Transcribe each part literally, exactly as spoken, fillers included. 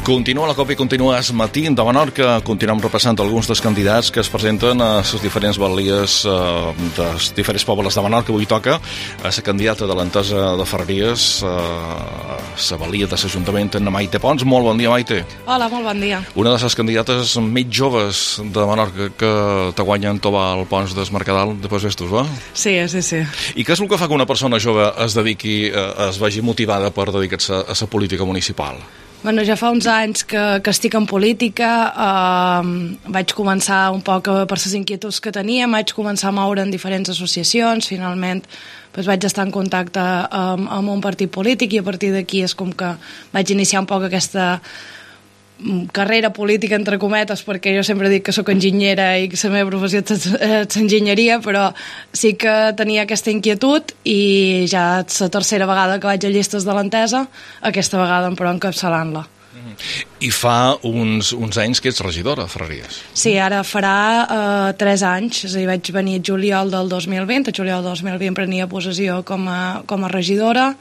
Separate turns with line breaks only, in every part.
Continua la Copa i continua es matí de Menorca. Continuem repassant alguns dels candidats que es presenten a les diferents balies eh, dels diferents pobles de Menorca. Avui toca a la candidata de l'Entesa de Ferreries, eh, la balia de l'Ajuntament, en Maite Pons. Molt bon dia, Maite.
Hola, molt bon dia.
Una de les candidates més joves de Menorca que te guanyen tovar el Pons del Mercadal de Vestos, va?
Sí, sí, sí.
I què és el que fa que una persona jove es dediqui, eh, es vegi motivada per dedicar-se a la política municipal?
Bueno, ja fa uns anys que, que estic en política, eh, vaig començar un poc per les inquietuds que tenia, vaig començar a moure en diferents associacions, finalment doncs vaig estar en contacte amb, amb un partit polític i a partir d'aquí és com que vaig iniciar un poc aquesta carrera política, entre cometes, perquè jo sempre dic que sóc enginyera i que la meva professió és l'enginyeria, però sí que tenia aquesta inquietud i ja és la tercera vegada que vaig a llistes de l'Entesa, aquesta vegada però encapçalant-la.
I fa uns, uns anys que ets regidora a Ferreries.
Sí, ara farà eh, tres anys, és a dir, vaig venir a juliol del dos mil vint, a juliol del dos mil vint prenia possessió com a, com a regidora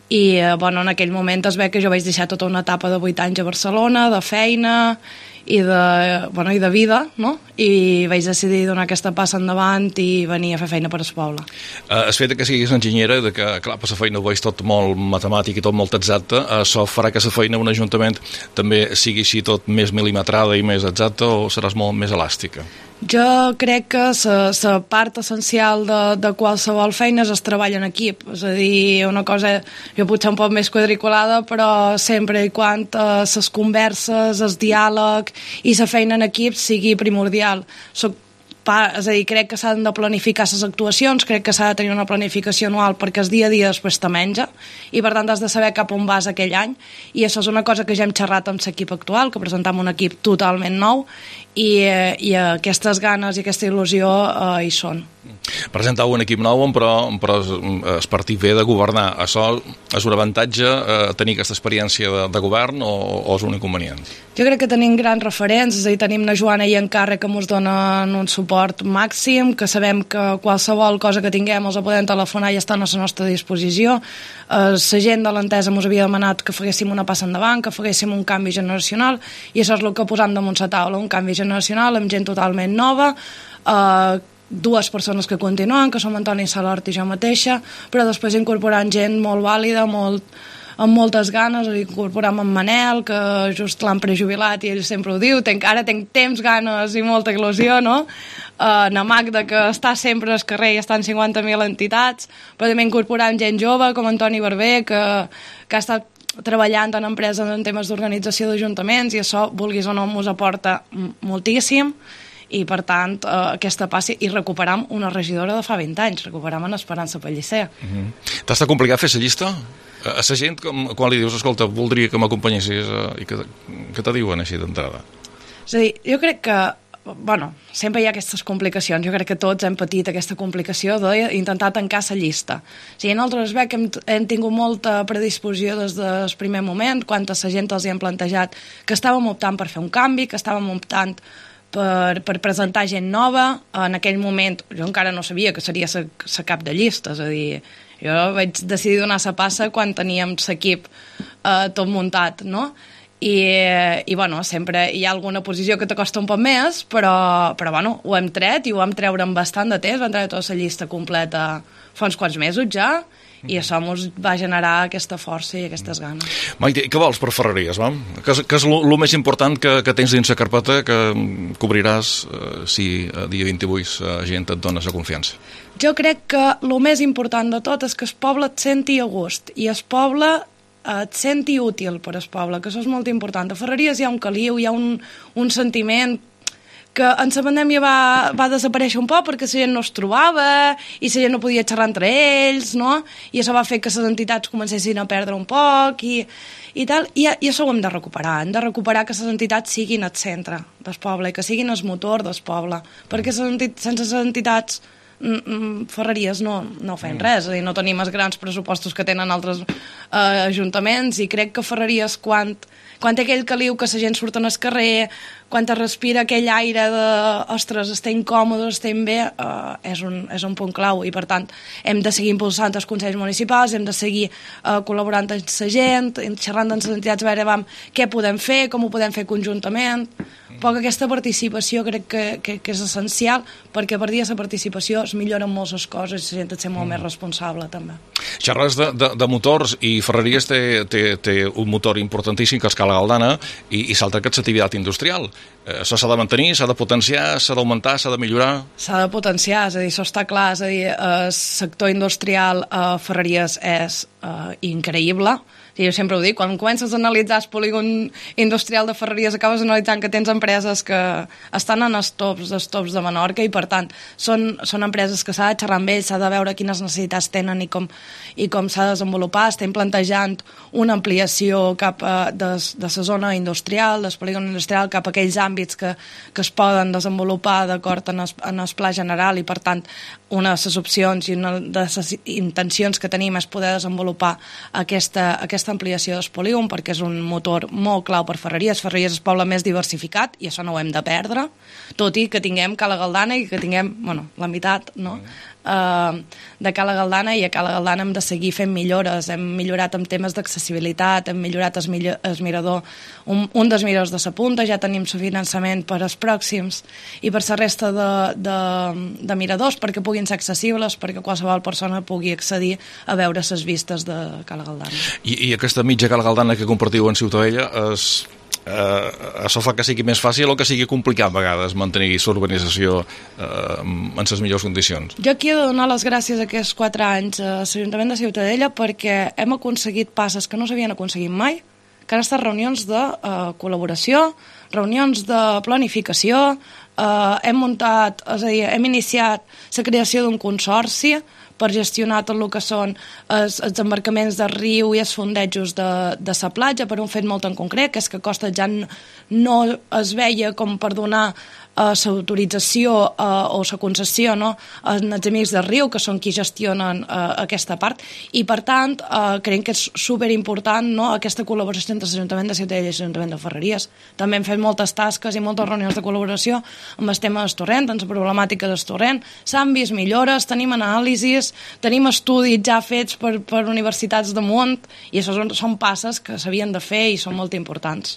i eh, bueno, en aquell moment es ve que jo vaig deixar tota una etapa de vuit anys a Barcelona, de feina i de, bueno, i de vida, no? I vaig decidir donar aquesta passa endavant i venir a fer feina per al poble.
Uh, el fet que siguis enginyera, de que, clar, per la feina ho veig tot molt matemàtic i tot molt exacte, uh, això farà que la feina en un ajuntament també sigui així tot més milimetrada i més exacta o seràs molt més elàstica?
Jo crec que la part essencial de, de qualsevol feina és el treball en equip, és a dir, una cosa jo potser un poc més quadriculada, però sempre i quan eh, les converses, el diàleg i la feina en equip sigui primordial. Soc Pa, és a dir, crec que s'han de planificar les actuacions, crec que s'ha de tenir una planificació anual perquè el dia a dia després te menja i per tant has de saber cap on vas aquell any i això és una cosa que ja hem xerrat amb l'equip actual, que presentam un equip totalment nou i, eh, i aquestes ganes i aquesta il·lusió eh, hi són.
Presentau un equip nou, però, però el partit ve de governar. Això és un avantatge eh, tenir aquesta experiència de, de govern o, o és un inconvenient?
Jo crec que tenim grans referents, és a dir, tenim la Joana i en Carre que ens donen un suport màxim, que sabem que qualsevol cosa que tinguem els podem telefonar i estan a la nostra disposició. Eh, la gent de l'Entesa ens havia demanat que féssim una passa endavant, que féssim un canvi generacional i això és el que posam damunt la taula, un canvi generacional amb gent totalment nova, eh, dues persones que continuen, que som Antoni Salort i jo mateixa, però després incorporant gent molt vàlida, molt, amb moltes ganes, incorporant en Manel, que just l'han prejubilat i ell sempre ho diu, tenc, ara tenc temps, ganes i molta il·lusió, no? Uh, na Magda, que està sempre al carrer i està en cinquanta mil entitats, però també incorporant gent jove, com Antoni Barber, que, que ha estat treballant en empreses en temes d'organització d'ajuntaments i això, vulguis o no, ens aporta moltíssim i per tant eh, aquesta passi i recuperam una regidora de fa vint anys, recuperam en Esperança Pellicer. Uh-huh.
T'ha estat complicat fer la llista? A la gent, quan li dius, escolta, voldria que m'acompanyessis eh, i que, que te diuen així d'entrada?
És a dir, jo crec que bueno, sempre hi ha aquestes complicacions, jo crec que tots hem patit aquesta complicació d'intentar tancar la llista. O sigui, nosaltres veig que hem, hem tingut molta predisposició des del primer moment, quan a la gent els hi hem plantejat que estàvem optant per fer un canvi, que estàvem optant Per, per presentar gent nova. En aquell moment jo encara no sabia que seria la cap de llista, és a dir, jo vaig decidir donar la passa quan teníem l'equip eh, tot muntat, no? I, i bueno, sempre hi ha alguna posició que t'acosta un poc més, però, però bueno, ho hem tret i ho vam treure amb bastant de temps, vam treure tota la llista completa fa uns quants mesos ja, i això ens va generar aquesta força i aquestes ganes.
Maite, què vols per Ferreries, va? Què és, què és lo, lo més important que, que tens dins la carpeta que cobriràs eh, si a dia vint-i-vuit la gent et dona la confiança?
Jo crec que el més important de tot és que el poble et senti a gust i el poble et senti útil per al poble, que això és molt important. A Ferreries hi ha un caliu, hi ha un, un sentiment que en la pandèmia va, va desaparèixer un poc perquè la gent no es trobava i la gent no podia xerrar entre ells, no? I això va fer que les entitats comencessin a perdre un poc i, i tal, i, i això ho hem de recuperar, hem de recuperar que les entitats siguin el centre del poble i que siguin el motor del poble, perquè sense les entitats Ferreries no, no fem res, és a dir, no tenim els grans pressupostos que tenen altres eh, ajuntaments i crec que Ferreries quan, quan té aquell caliu que la gent surt al carrer, quan es respira aquell aire de, ostres, estem còmodes, estem bé, uh, és, un, és un punt clau, i per tant hem de seguir impulsant els consells municipals, hem de seguir uh, col·laborant amb la gent, xerrant amb les entitats, a veure vam, què podem fer, com ho podem fer conjuntament. Poc aquesta participació crec que, que, que és essencial, perquè per dia la participació es milloren moltes les coses i la gent et sent molt mm. més responsable també.
Xerres de, de, de motors, i Ferreries té, té, té un motor importantíssim que és Cala Galdana, i, i s'altra que és l'activitat industrial. Eh, això s'ha de mantenir, s'ha de potenciar, s'ha d'augmentar, s'ha de millorar? S'ha
de potenciar, és a dir, això està clar, és a dir, el sector industrial a Ferreries és uh, increïble. Sí, jo sempre ho dic, quan comences a analitzar el polígon industrial de Ferreries acabes analitzant que tens empreses que estan en els tops, dels tops de Menorca, i per tant són, són empreses que s'ha de xerrar amb ells, s'ha de veure quines necessitats tenen i com, i com s'ha de desenvolupar. Estem plantejant una ampliació cap a, de, de la zona industrial, del polígon industrial, cap a aquells àmbits que, que es poden desenvolupar d'acord en, en el pla general, i per tant una de les opcions i una de les intencions que tenim és poder desenvolupar aquesta, aquesta ampliació del polígon, perquè és un motor molt clau per Ferreries. Ferreries és el poble més diversificat i això no ho hem de perdre, tot i que tinguem Cala Galdana i que tinguem, bueno, la meitat, no?, Uh, de Cala Galdana, i a Cala Galdana hem de seguir fent millores. Hem millorat amb temes d'accessibilitat, hem millorat el, millor, el mirador, un, un dels miradors de la punta, ja tenim el finançament per als pròxims i per la resta de, de, de miradors, perquè puguin ser accessibles, perquè qualsevol persona pugui accedir a veure les vistes de Cala Galdana.
I, i aquesta mitja Cala Galdana que compartiu en Ciutadella és... Uh, això fa que sigui més fàcil o que sigui complicat a vegades mantenir l'urbanització uh, en les millors condicions?
Jo aquí he de donar les gràcies aquests quatre anys a l'Ajuntament de Ciutadella, perquè hem aconseguit passes que no s'havien aconseguit mai, que han estat reunions de uh, col·laboració, reunions de planificació, uh, hem muntat, és a dir, hem iniciat la creació d'un consorci per gestionar tot el que són els, els embarcaments del riu i els fondejos de, de la platja, per un fet molt en concret, que és que Costa ja no es veia com per donar l'autorització uh, uh, o la concessió, no?, als amics del riu, que són qui gestionen uh, aquesta part, i per tant uh, creiem que és superimportant, no?, aquesta col·laboració entre l'Ajuntament de Ciutadella i l'Ajuntament de Ferreries. També hem fet moltes tasques i moltes reunions de col·laboració amb el tema del torrent, amb la problemàtica del torrent. S'han vist millores, tenim anàlisis, tenim estudis ja fets per, per universitats de món, i això són, són passes que s'havien de fer i són molt importants.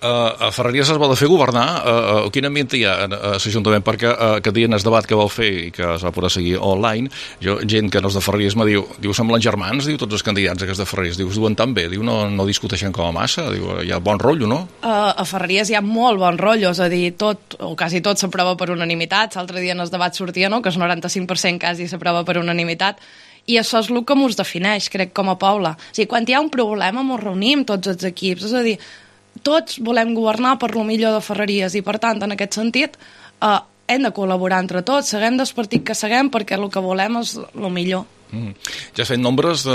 Uh, a Ferreries es va de fer governar. Uh, uh, quin ambient hi ha a l'Ajuntament? Perquè uh, aquest dia en el debat que vau fer i que es va poder seguir online, jo, gent que no és de Ferreries me diu, diu, semblen germans, diu, tots els candidats aquests de Ferreries, diu, es duen tan bé, diu, no, no discuteixen com a massa, diu, hi ha bon rotllo, no?
Uh, a Ferreries hi ha molt bon rotllo, és a dir, tot, o quasi tot s'aprova per unanimitat. L'altre dia en el debat sortia, no?, que el noranta-cinc per cent quasi s'aprova per unanimitat, i això és el que ens defineix, crec, com a poble. O sigui, quan hi ha un problema ens reunim tots els equips, és a dir, tots volem governar per lo millor de Ferreries, i per tant, en aquest sentit, eh, hem de col·laborar entre tots, seguem del partit que seguem, perquè el que volem és lo millor.
Mm. Ja has fet nombres de,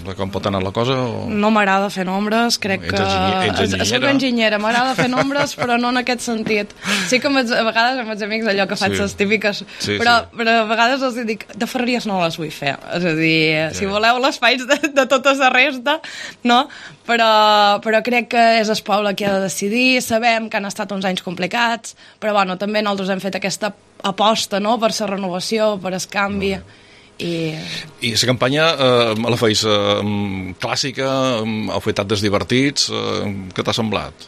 de com pot anar la cosa? O...
No m'agrada fer nombres, crec
ets
que...
enginyera?
Soc enginyera, m'agrada fer nombres, però no en aquest sentit. Sí que a vegades amb els amics allò que faig sí. les típiques, sí, però, sí. però a vegades els dic, de Ferreries no les vull fer. És a dir, ja. si voleu les faig de, de tota la resta, no? Però, però crec que és el poble qui ha de decidir, sabem que han estat uns anys complicats, però bueno, també nosaltres hem fet aquesta aposta, no?, per la renovació, per el canvi... No. I,
I la campanya eh, la feis eh, clàssica, heu fet actes divertits, eh, què t'ha semblat?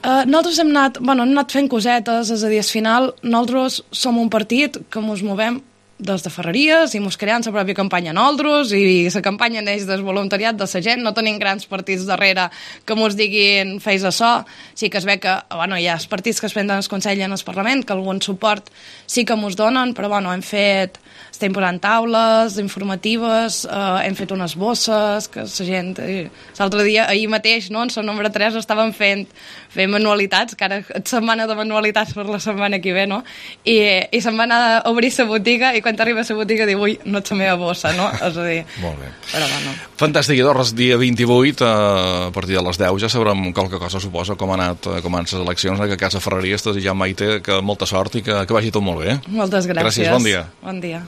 Uh, nosaltres hem anat, bueno, hem anat fent cosetes, és a dir, al final nosaltres som un partit que ens movem des de Ferreries i mos creant la pròpia campanya nosaltres, i la campanya neix del voluntariat de la gent, no tenim grans partits darrere que mos diguin feis açò. Sí que es ve que, bueno, hi ha els partits que es prenen el Consell i en el Parlament, que algun suport sí que mos donen, però bueno, hem fet, estem posant taules informatives, eh, hem fet unes bosses que la gent, eh, l'altre dia, ahir mateix, no, en la número tres estaven fent, fent manualitats, que ara és setmana de manualitats per la setmana que ve, no? I, i se'n va anar a obrir la botiga, i quan t'arriba a la botiga diu, ui, no ets la meva bossa, no? És a dir...
Molt bé.
Però bueno.
Fantàstic, Idorres, dia vint-i-vuit, a partir de les deu, ja sabrem qualque cosa, suposa, com han anat, com han les eleccions, en aquest cas a Ferreries, i ja Maite, que molta sort i que, que vagi tot molt bé.
Moltes gràcies.
Gràcies, bon dia.
Bon dia.